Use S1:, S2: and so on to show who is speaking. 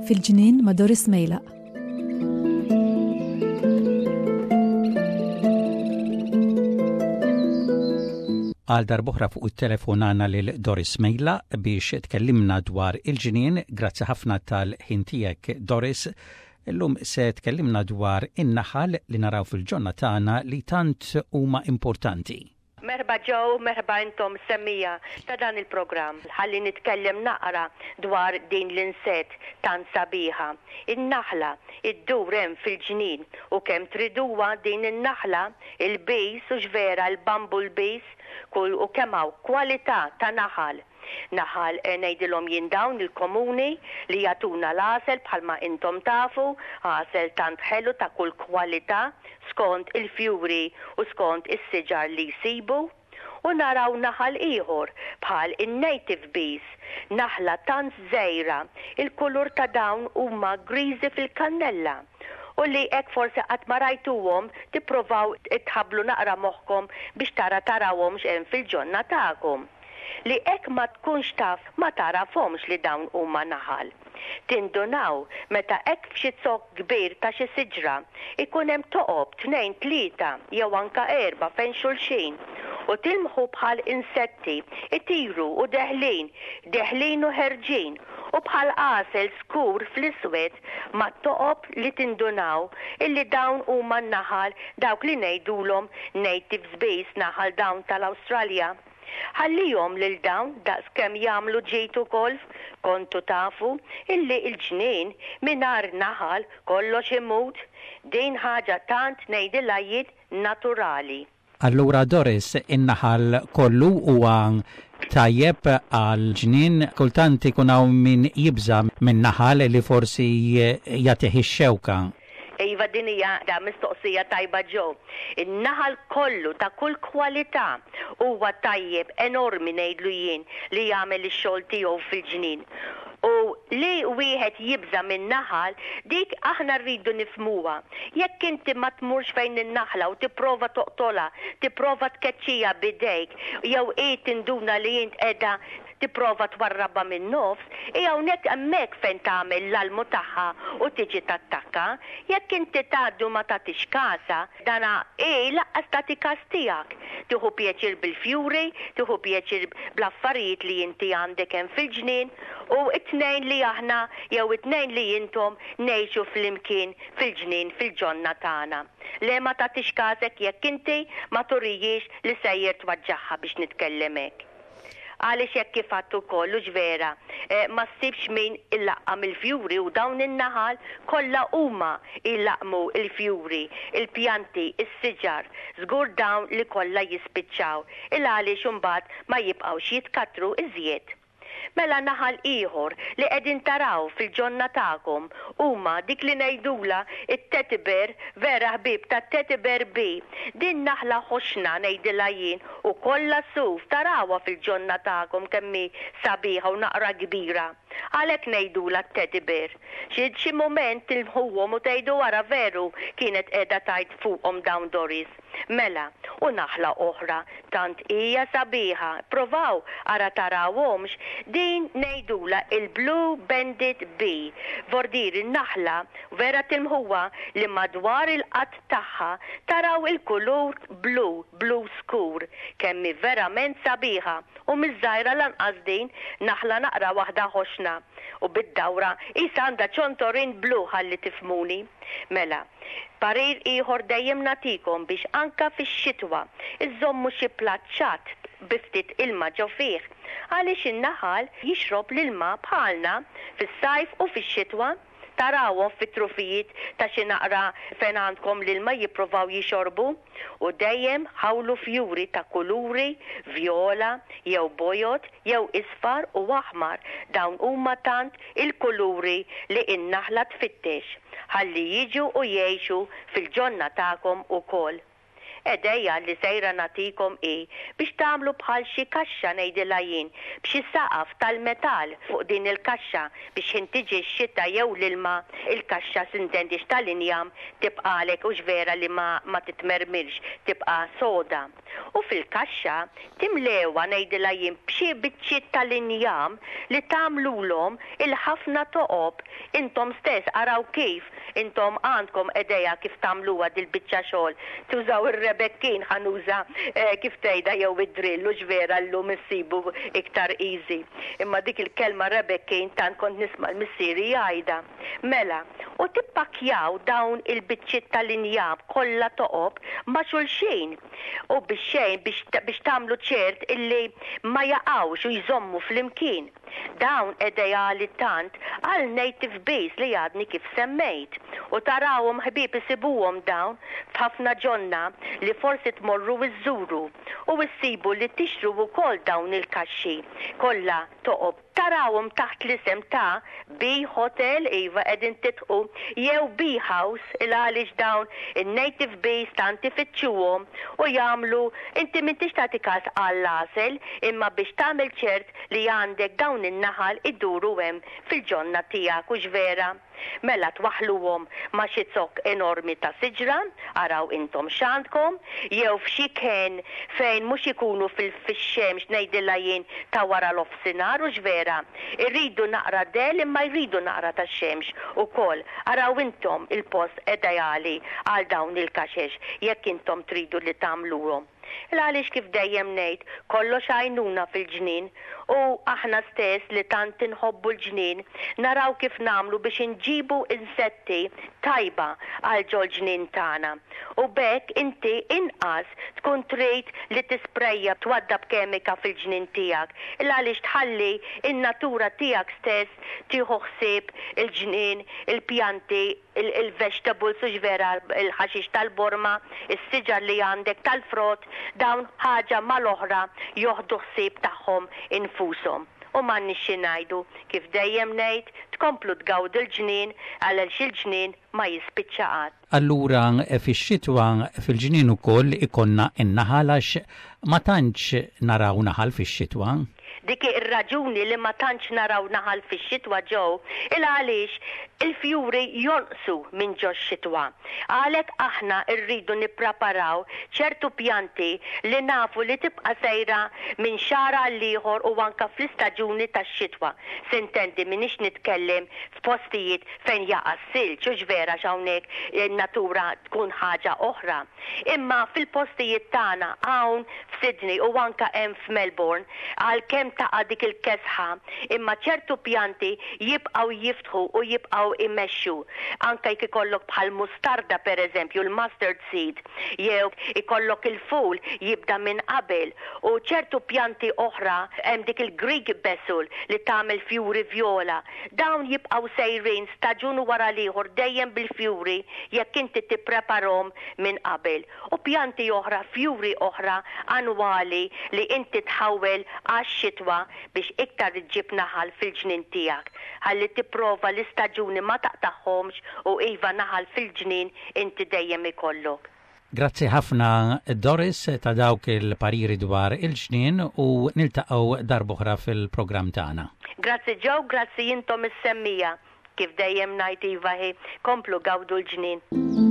S1: Fil-ġnien ma' Doris Mejlaq.
S2: Għal darbohra fuq it-telefon għandna lil Doris Mejla biex tkellimna dwar il-ġnien. Grazzi ħafna tal-ħin tiegħek Doris. Illum se tkellimna dwar in-naħal li naraw fil-ġonna tagħna li tant huma importanti.
S3: Merħba Joe, merħba intom semmiegħa ta' dan il-programm. Ħalli nitkellem naqra dwar din l-insett tant sabiħa. In-naħla, iddur hemm fil-ġnien u kemm triduha din in-naħla, il-bees hux vera l-bumble bees, kull u kemm hawn kwalità ta' naħal. Naħal ngħidilhom jien dawn il-komuni li jagħtuna l-għasel bħalma intom tafu, għasel tant ħelu ta' kull kwalità skont il-fjuri u skont is-siġar li jsibu. U naraw naħal ieħor bħal in-native bees, naħla tant żgħira, il-kulur ta' dawn huma griżi fil-kannella u li hekk forsi qatt ma rajtuhom tipprovaw tħabblu naqra moħħkom biex tara tarawhomx hemm fil-ġonna tagħkom. Li hekk ma tkunx taf ma tagħrafhomx li dawn huma naħal. Tindunaw meta hekk f'xi zokk kbir ta' xi siġra jkun hemm toqob tnejn tlieta jew anka erbgħa fejn xulxin u tilmħu bħal insetti jtiru u deħlin, deħlin u ħerġin u bħal għasel skur fl-iswed mat-toqob li tindunaw illi dawn huma n-naħal dawk li ngħidulhom natives bees naħal dawn tal-Awstralja. Ħallihom lil dawn daqs kemm jagħmlu ġid ukoll kontu tafu illi l-ġnien mingħajr naħal kollox imut din ħaġa tant ngħidilha jien naturali.
S2: Allura Doris, in-naħal kollu huwa tajjeb għall-ġnien? Kultant ikun hawn min jibża' min-naħal li forsi jagħtih ix-xewka.
S3: Iva din hija mistoqsija tajba Joe. In-naħal kollu ta' kull kwalità huwa tajjeb enormi ngħidlu jien li jagħmel ix-xogħol tiegħu fil-ġnien. U li wieħed jibża' min-naħal dik aħna rridu nifhmuha. Jekk inti ma tmurx fejn in-naħla u tipprova toqtolha, tipprova tkeċċiha b'idejk jew hi tinduna li int qiegħda tipprova twarrabha min-nofs, hi hawnhekk hemmhekk fejn tagħmel l-almu tagħha u tiġi tattakka. Jekk inti tgħaddi u ma tagħtix kasha, dana hi lanqas tagħti kas tiegħek. Tieħu pjaċir bil-fjuri, tieħu pjaċir bl-affarijiet li inti għandek hemm fil-ġnien u t-tnejn li aħna jew it-tnejn li intom ngħixu flimkien fil-ġnien fil-ġonna tagħna. Le ma tagħtix kasek jekk inti ma turijiex li sejjer twaġġagħha biex nitkellem hekk. Għaliex hekk kif għedt ukoll, hux vera, ma ssibx min ilaqqam il-fjuri u dawn in-naħal kollha huma jlaqqmu l-fjuri, il-pjanti, is-siġar, żgur dawn li kollha jispiċċaw, il-għaliex imbagħad ma jibqgħux jitkattru iżjed. Mela naħal ieħor li qegħdin taraw fil-ġonna tagħkom huma dik li ngħidulha t-teddy bear, vera ħbieb tat-teddy bear bee, din naħla ħoxna ngħidilha jien U kollha suf, tarawha fil-ġonna tagħkom kemm hi sabiħa u naqra kbira. Għalhekk ngħidulha t-teddy bear. Xi xi mument tilmħuhom u tgħidu ara veru kienet qiegħda tgħid fuqhom dawn Doris. Mela, u naħla oħra tant hija sabiħa, pprovaw ara tarawhomx, din ngħidulha il-blue banded bee. Vordiri naħla vera tilmħuha li madwar il-qadd tagħha taraw il-kulur blu, blu skur, kemm hi verament sabiħa u mhix żgħira lanqas din, naħla naqra waħda ħoxna u bid-dawra qisha għandha ċontorin blu ħalli tifhmuni. Mela, parir ieħor dejjem nagħtikom biex anka fix-xitwa iżżommu xi platt ċatt bi ftit ilma ġo fih għaliex in-naħal jixrob l-ilma bħalna fis-sajf u fix-xitwa. Tarawhom fit-trufijiet ta' xi naqra fejn għandkom l-ilma jipprovaw jixorbu. U dejjem ħawlu fjuri ta' kuluri, vjola, jew bojod, jew isfar u aħmar, dawn huma tant il-kuluri li n-naħla tfittex, ħalli jiġu u jgħixu fil-ġonna tagħkom ukoll. Idea li sejra nagħtikom hi biex tagħmlu bħal xi kaxxa ngħidilha jien b'xi saqaf tal-metall fuq din il-kaxxa biex ħin tiġi x-xita jew l-ilma il-kaxxa s'intendix tal-injam tibqagħlek hux vera li ma ma titmermirx tibqa' soda. U fil-kaxxa timlewha ngħidilha jien b'xi biċċiet tal-injam li tagħmlulhom il-ħafna toqob intom stess araw kif intom għandkom idea kif tagħmluha dil-biċċa xogħol tużaw ir-rebekkin ħa nuża kif tgħidha jew id-drill hux vera llum issibu iktar easy imma dik il-kelma rebekkin tant kont nisma' l-missieri jgħidha. Mela, u tippakkjaw dawn il-biċċiet tal-injam kollha toqob ma' xulxin, u bix-xejn biex biex tagħmlu ċert illi ma jaqgħux u jżommu flimkien. Dawn ideali tant għal native bees li għadni kif semmejt. U tarawhom ħbieb isibuhom dawn f'ħafna ġonna li forsi tmorru iżżuru u issibu li tixtru wkoll dawn il-kaxxi kollha toqob. Tarawhom taħt l-isem ta' Bee Hotel, iva qegħdin tidħqu, jew Bee House, il għaliex dawn in-native bees tant ifittxuhom u jagħmlu, inti m'intix tagħti każ għall-għasel imma biex tagħmel ċert li għandek dawn in-naħal iduru hemm fil-ġonna tiegħek, hux vera? Mela twaħħluhom ma' xi zokk enormi ta' siġra, araw intom x'għandkom, jew f'xi kenn fejn mhux ikunu fil-fix-xemx ngħidilha jien ta' wara l-ofsinhar hux vera? Iridu naqra dell imma jridu naqra ta' xemx ukoll. Araw intom il-post ideali għal dawn il-kaxex jekk intom tridu li tagħmluhom. Il-għaliex kif dejjem ngħid, kollox għajnuna fil-ġnien u aħna stess li tant inħobbu l-ġnien naraw kif nagħmlu biex inġibu insetti tajba għal ġol-ġnien tagħna. U b'hekk inti inqas tkun trid li tisprejja twaddab kemika fil-ġnien tiegħek il-għaliex tħalli n-natura tiegħek stess tieħu ħsieb il-ġnien, il-pjanti, il-vegetables hux vera il-ħaxix tal-borma, is-siġar li għandek tal-frott, dawn ħaġa mal-oħra joħdu ħsieb tagħhom infushom. U m'għandniex xi ngħidu, kif dejjem ngħid, tkomplu tgawdu l-ġnien għaliex il-ġnien ma jispiċċa qatt.
S2: Allura fix-xitwa fil-ġnien ukoll ikollna n-naħal għax ma tantx naraw naħal fix-xitwa.
S3: Dik hi r-raġuni li ma tantx naraw naħal fix-xitwa Joe, il għaliex il-fjuri jonqsu minn ġox-xitwa. Għalhekk aħna rridu nippraparaw ċertu pjanti li nafu li tibqa' sejra minn xahar għall-ieħor u anke fl-istaġuni tax-xitwa. Sintendi m'iniex nitkellem f'postijiet fejn jaqa' s-silġ, hux vera għax hawnhekk in-natura tkun ħaġa oħra. Imma fil-postijiet tagħna hawn f'Sydney u anke hemm f'Melbourne, għalkemm taqa' dik il-kesħa, imma ċertu pjanti jibqgħu jiftħu u jibqgħu jmexxu. Anke jekk ikollok bħal mustarda pereżempju, l-mustard seed, jew ikollok il-ful jibda minn qabel u ċertu pjanti oħra, hemm dik il-Greek basil li tagħmel fjuri vjola. Dawn jibqgħu sejrin staġun wara l-ieħor dejjem bil-fjuri jekk inti tippreparhom minn qabel. U pjanti oħra, fjuri oħra annwali li inti tħawwel għax-xitwa biex iktar iġġib naħal fil-ġnien tiegħek. Ħalli tipprova l-istaġuni ma taqtagħhomx u iva naħal fil-ġnien inti dejjem ikollok.
S2: Grazzi ħafna Doris ta' dawk il-pariri dwar il-ġnien u niltaqgħu darb'oħra fil-programm tagħna.
S3: Grazzi Joe, grazzi intom is-semmiegħa. Kif dejjem ngħid iva hi, komplu gawdu l-ġnien.